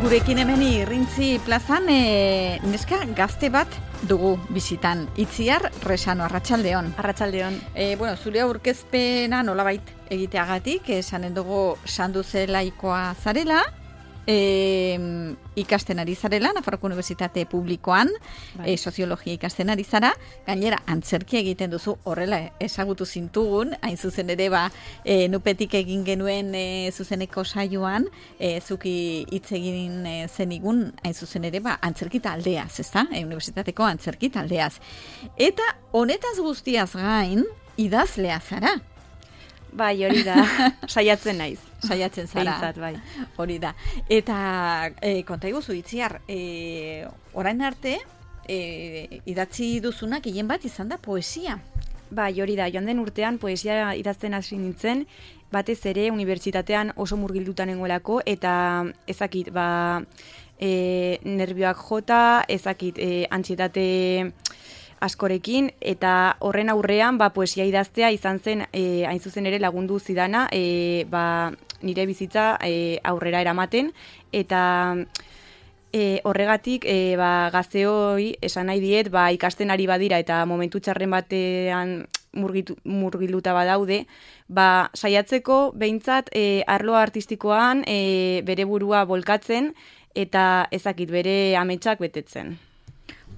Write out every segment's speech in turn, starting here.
Gurekin hemen Irrintzi plazan neska gazte bat dugu bizitan. Itziar Resano, arratsaldeon. Arratsaldeon. Zure aurkezpena nolabait egiteagatik, esanen dugu Sanduzelaikoa zarela, ikasten ari zarela, Nafarroko Unibertsitate Publikoan, soziologia ikasten ari zara, gainera antzerki egiten duzu, horrela ezagutu zintugun, hain zuzen ere nupetik egin genuen zuzeneko saioan, zuki hitz egin zenigun, hain zuzen ere antzerki taldeaz, ezta? Unibertsitateko antzerki taldeaz. Eta honetaz guztiaz gain, idazlea zara. Bai, hori da, saiatzen naiz. Saiatzen zara. Behintzat, bai. Hori da. Eta konta iguzu, Itziar, orain arte, idatzi duzunak hien bat izan da poesia. Bai, hori da, joan den urtean poesia idazten hasi nintzen, batez ere unibertsitatean oso murgilduta nengoelako, eta ezakit, nervioak jota, ezakit, antsietate askorekin, eta horren aurrean poesia idaztea izan zen hain zuzen ere lagundu zidana nire bizitza aurrera eramaten, eta horregatik gazteoi esan nahi diet ikasten ari badira eta momentu txarren batean murgilduta badaude, saiatzeko behintzat arlo artistikoan bere burua bolkatzen eta ezakit bere ametsak betetzen.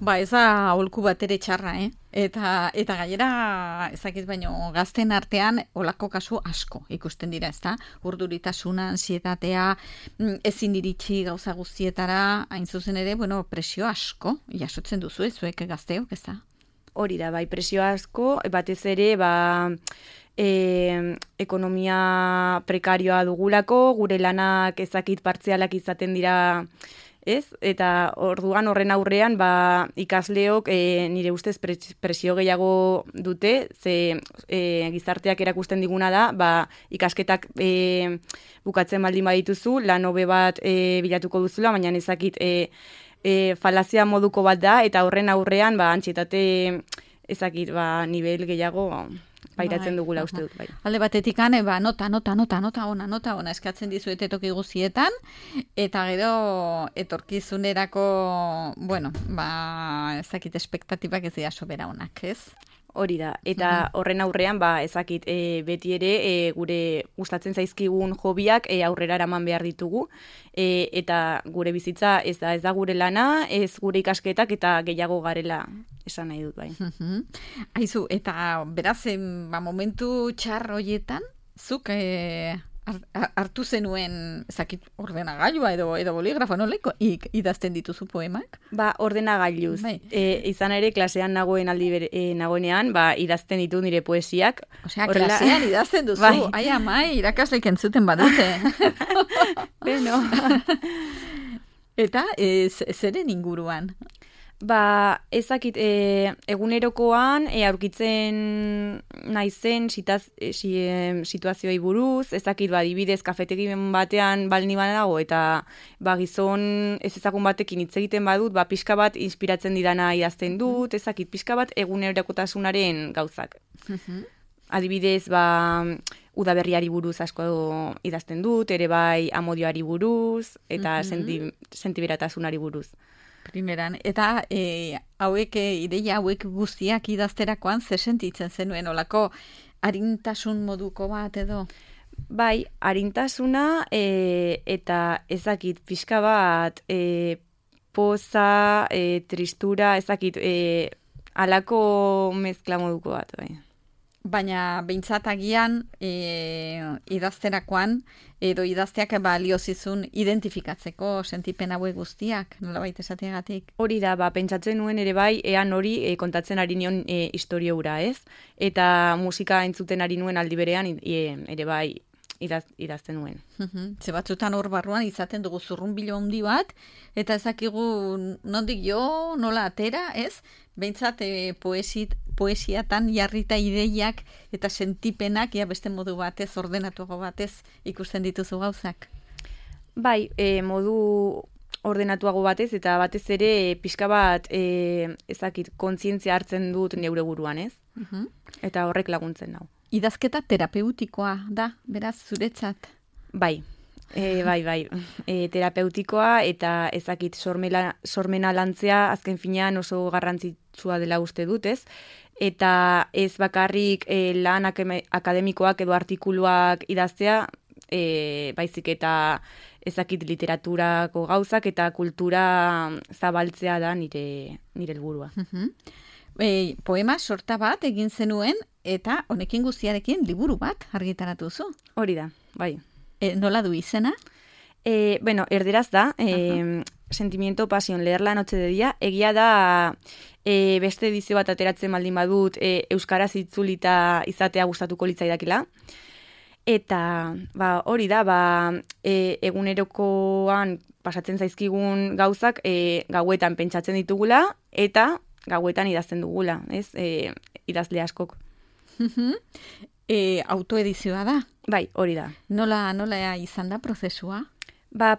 Ez da aholku bat ere txarra, Eta gainera, ezakit baino, gazten artean olako kasu asko ikusten dira, ezta? Urduritasuna, ansietatea, ezin iritsi gauza guztietara, hain zuzen ere, presio asko jasotzen duzu, zuek gazteok, ezta? Hori da, presio asko, batez ere, ekonomia prekarioa dugulako, gure lanak ezakit partzialak izaten dira, ez? Eta orduan horren aurrean ikasleok nire ustez presio gehiago dute, ze gizarteak erakusten diguna da, ikasketak bukatzen baldin badituzu, lan hobe bat bilatuko duzula, baina ezakit falazia moduko bat da, eta horren aurrean antsietate ezakit nivel gehiago pairatzen dugula uste dut. Alde batetik nota ona eskatzen dizuete toki guztietan, eta gero etorkizunerako, ezakit espektatibak ez dira sobera onak, ez? Hori da, eta horren aurrean, ezakit, beti ere gure gustatzen zaizkigun hobiak aurrera eraman behar ditugu, eta gure bizitza ez da gure lana, ez gure ikasketak eta gehiago garela esan nahi dut, bai. Aizu, eta beraz, momentu txar horietan, zuk hartu zenuen, ezakit, ordenagailua edo boligrafo, noleko idazten dituzu poemak? Ordenagailuz. Izan ere, klasean nagoenean, idazten ditu nire poesiak. Osea, klasean idazten duzu. Ai, amai, irakasleik entzuten badute. Beno. Eta, zeren inguruan? Ezakit, egunerokoan aurkitzen naizen situazioei buruz, ezakit, adibidez, kafetegin batean balni banago, eta gizon ez ezagun batekin hitz egiten badut, pixka bat inspiratzen didana idazten dut, ezakit, pixka bat egunerokotasunaren gauzak. Adibidez, udaberriari buruz asko idazten dut, ere amodioari buruz, eta sentiberatasunari buruz. Primeran, eta ideia hauek guztiak idazterakoan ze sentitzen zenuen olako arintasun moduko bat edo? Arintasuna eta ezakit pixka bat poza, tristura, ezakit alako mezkla moduko bat, bai. Baina behintzat agian idazterakoan edo idazteak balio zizun identifikatzeko sentipen hauek guztiak, nolabait esateagatik? Hori da, pentsatzen nuen ere ean hori kontatzen ari nion istorio hura, ez? Eta musika entzuten ari nuen aldi berean ere idazten nuen. Ze batzutan hor barruan izaten dugu zurrunbilo handi bat, eta ezakigu nondik jo, nola atera, ez? Behintzat poesiatan jarrita ideiak eta sentipenak beste modu batez, ordenatuago batez ikusten dituzu gauzak. Modu ordenatuago batez, eta batez ere pixka bat ezakit, kontzientzia hartzen dut neure buruan, ez? Eta horrek laguntzen nau. Idazketa terapeutikoa da, beraz, zuretzat? Bai, Bai. Terapeutikoa eta ezakit sormena lantzea azken finean oso garrantzitsua dela uste dut, ez? Eta ez bakarrik lan akademikoak edo artikuluak idaztea, baizik eta ezakit literaturako gauzak eta kultura zabaltzea da nire helburua. Poema sorta bat egin zenuen eta honekin guztiarekin liburu bat argitaratu zu. Hori da, bai. Nola du izena? Erderaz da, Sentimiento, pasión, leer la noche de día. Egia da, beste edizio bat ateratzen baldin badut, euskaraz itzulita izatea gustatuko litzaidakela. Eta hori da, egunerokoan pasatzen zaizkigun gauzak gauetan pentsatzen ditugula eta gauetan idazten dugula, ez? Idazle askok. Autoedizioa da? Bai, hori da. Nola izan da prozesua?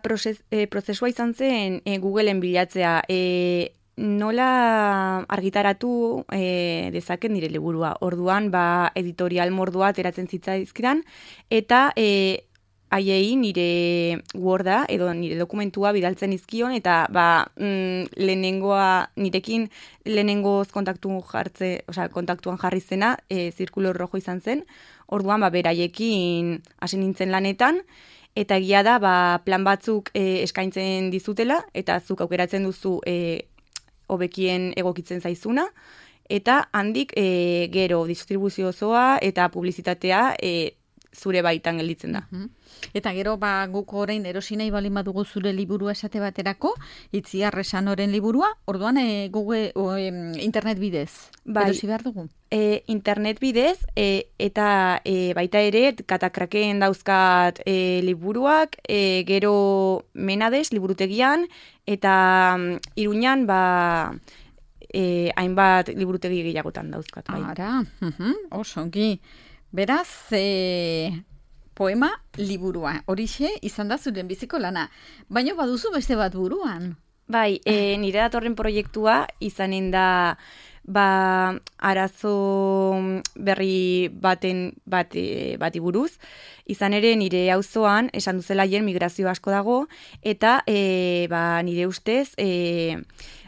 Prozesua izan zen Googleen bilatzea. Nola argitaratu dezaken nire liburua. Orduan, editorial mordua ateratzen zitzaizkidan, eta haiei nire Worda edo nire dokumentua bidaltzen izkion, eta nirekin lehenengoz kontaktuan jarri zena, zirkulo rojo izan zen. Orduan, beraiekin hasi nintzen lanetan, eta egia da, plan batzuk eskaintzen dizutela, eta zuk aukeratzen duzu hobekien egokitzen zaizuna, eta handik gero distribuzio osoa eta publizitatea zure baitan gelditzen da. Eta gero guk orain erosi nahi baldin badugu zure liburua esate baterako, Itziar Resanoren liburua, orduan internet bidez erosi behar dugu? Internet bidez, eta baita ere katakraken dauzkat liburuak, gero Menades liburutegian, eta Iruñan hainbat liburutegi gehiagotan dauzkat. Ara, oso ongi. Beraz, poema liburua. Horixe izan da zuren biziko lana. Baina baduzu beste bat buruan. Bai, nire datorren proiektua izanen da arazo berri bati buruz. Izan ere nire auzoan esan duzela migrazio asko dago, eta nire ustez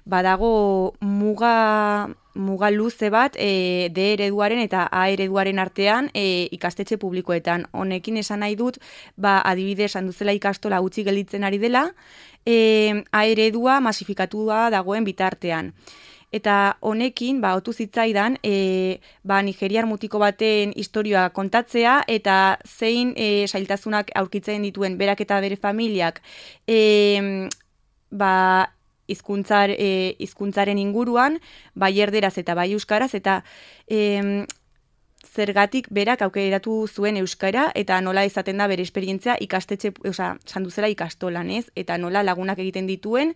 badago muga luze bat D ereduaren eta A ereduaren artean ikastetxe publikoetan. Honekin esan nahi dut, adibidez esan duzela ikastola gutxi gelditzen ari dela, A eredua masifikatua dagoen bitartean. Eta honekin, otu zitzaidan, Nigeriar mutiko baten historioa kontatzea, eta zein zailtasunak aurkitzen dituen berak eta bere familiak hizkuntzaren inguruan, bai erderaz eta bai euskaraz, eta zergatik berak aukeratu zuen euskara, eta nola izaten da bere esperientzia ikastetxe, sanduzela ikastolan, ez? Eta nola lagunak egiten dituen,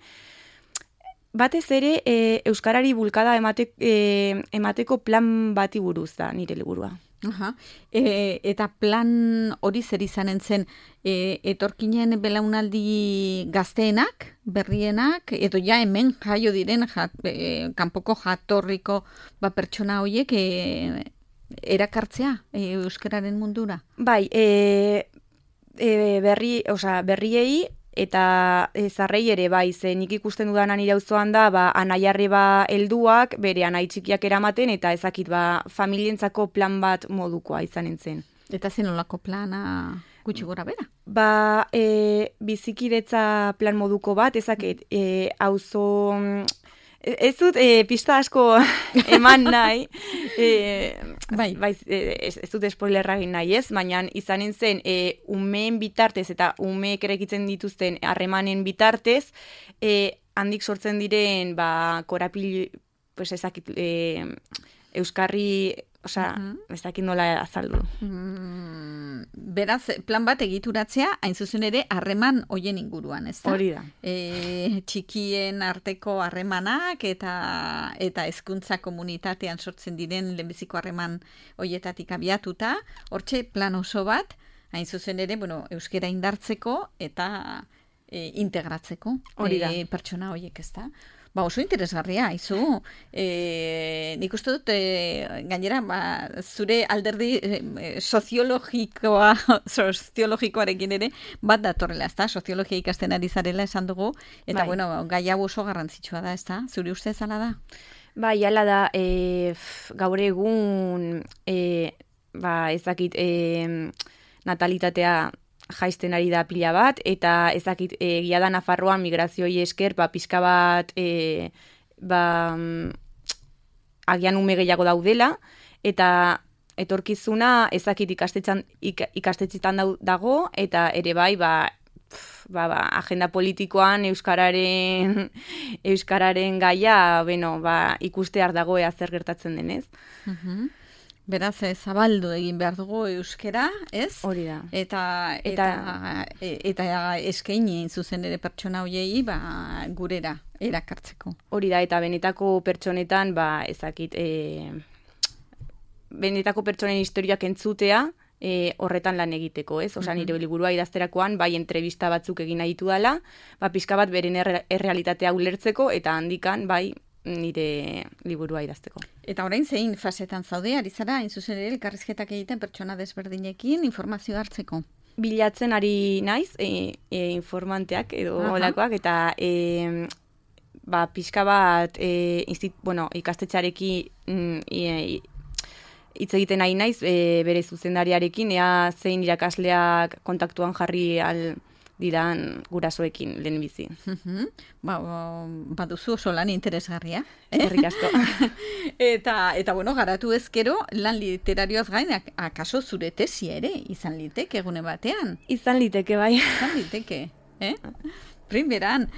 batez ere euskarari bulkada emateko plan bati buruz da nire liburua. Eta plan hori zer izanen zen etorkinen belaunaldi gazteenak, berrienak, edo hemen jaio diren kanpoko jatorriko pertsona horiek erakartzea euskararen mundura? Bai, berriei eta zarrei ere nik ikusten dudan nire auzoan da, anaiarreba helduak, bere anai txikiak eramaten, eta ezakit familientzako plan bat modukoa izanen zen. Eta zen olako plana gutxi gora bera? Bizikidetza plan moduko bat, ezakit, auzo... Ez dut pista asko eman nahi, ez dut spoilerra egin nahi, ez? Baina izanen zen umeen bitartez eta umeek erekitzen dituzten harremanen bitartez, handik sortzen diren korapil, ezakit, euskarri, ezakit nola azaldu. Beraz, plan bat egituratzea, hain zuzen ere, harreman hoien inguruan, ez da? Hori da. Txikien arteko harremanak eta hezkuntza komunitatean sortzen diren lehenbiziko harreman hoietatik abiatuta, hortxe plan oso bat, hain zuzen ere, euskera indartzeko eta integratzeko pertsona hoiek, ez da? Ba, oso interesgarria, izu. Nik uste dut, gainera, zure alderdi soziologikoarekin ere, bat datorrela, ez da? Soziologia ikasten ari zarela esan dugu, eta, bueno, gai hau oso garrantzitsua da, ez da? Zure uste zala da? Bai, hala da, gaur egun, ezakit, natalitatea jaisten ari da pila bat, eta ezakit, egia da Nafarroan migrazioi esker, pixka bat, agian ume gehiago daudela, eta etorkizuna ezakit ikastetxetan dago, eta ere bai, agenda politikoan euskararen gaia, ikustear dago zer gertatzen denez. Beraz, zabaldu egin behar dugu euskera, ez? Hori da. Eta eskaini zuzen ere pertsona hoiei gurera erakartzeko. Hori da, eta benetako pertsonetan, ezakit, benetako pertsonen historiak entzutea, horretan lan egiteko, ez? Osa, nire liburua idazterakoan, entrevista batzuk egin nahi dela, pixka bat beren errealitatea ulertzeko, eta handikan, nire liburua idazteko. Eta orain zein fasetan zaude, ari zara, hain zuzen ere elkarrizketak egiten pertsona desberdinekin informazio hartzeko? Bilatzen ari naiz, informanteak edo olakoak, eta pixka bat ikastetxarekin hitz egiten nahi naiz, bere zuzendariarekin, ea zein irakasleak kontaktuan jarri diran gurasoekin lehen bizi. Baduzu oso lan interesgarria. Eskerrik asko. Eta bueno, garatu ezkero, lan literarioaz gain, akaso zure tesia ere, izan liteke egune batean? Izan liteke, bai. Izan liteke, Primeran,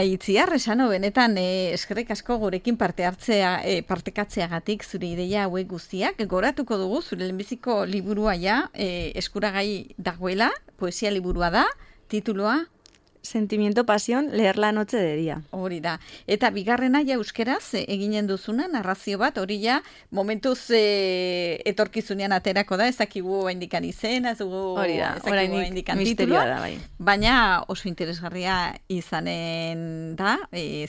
Itziar, esano benetan eskerrik asko gurekin partekatzeagatik zure ideia hauek guztiak. Goratuko dugu zure lehenbiziko liburua eskuragai dagoela, poesia liburua da, tituloa? Sentimiento, pasión, leer la noche de día. Hori da. Eta bigarrena euskeraz eginen duzuna, narrazio bat, hori momentuz etorkizunean aterako da, ezakigu indikan izena, ezakigu indikan titulua. Da, bai. Baina oso interesgarria izanen da,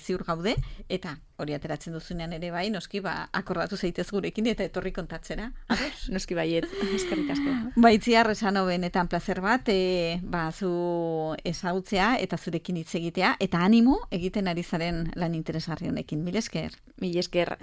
ziur gaude, eta hori ateratzen duzunean ere bai, noski, akordatu zaitez gurekin eta etorri kontatzera. Noski baiet, eskerrik asko. Itziar, esano benetan plazer bat, zu ezagutzea eta zurekin hitz egitea, eta animo egiten ari zaren lan interesgarri honekin. Mil esker. Mil esker.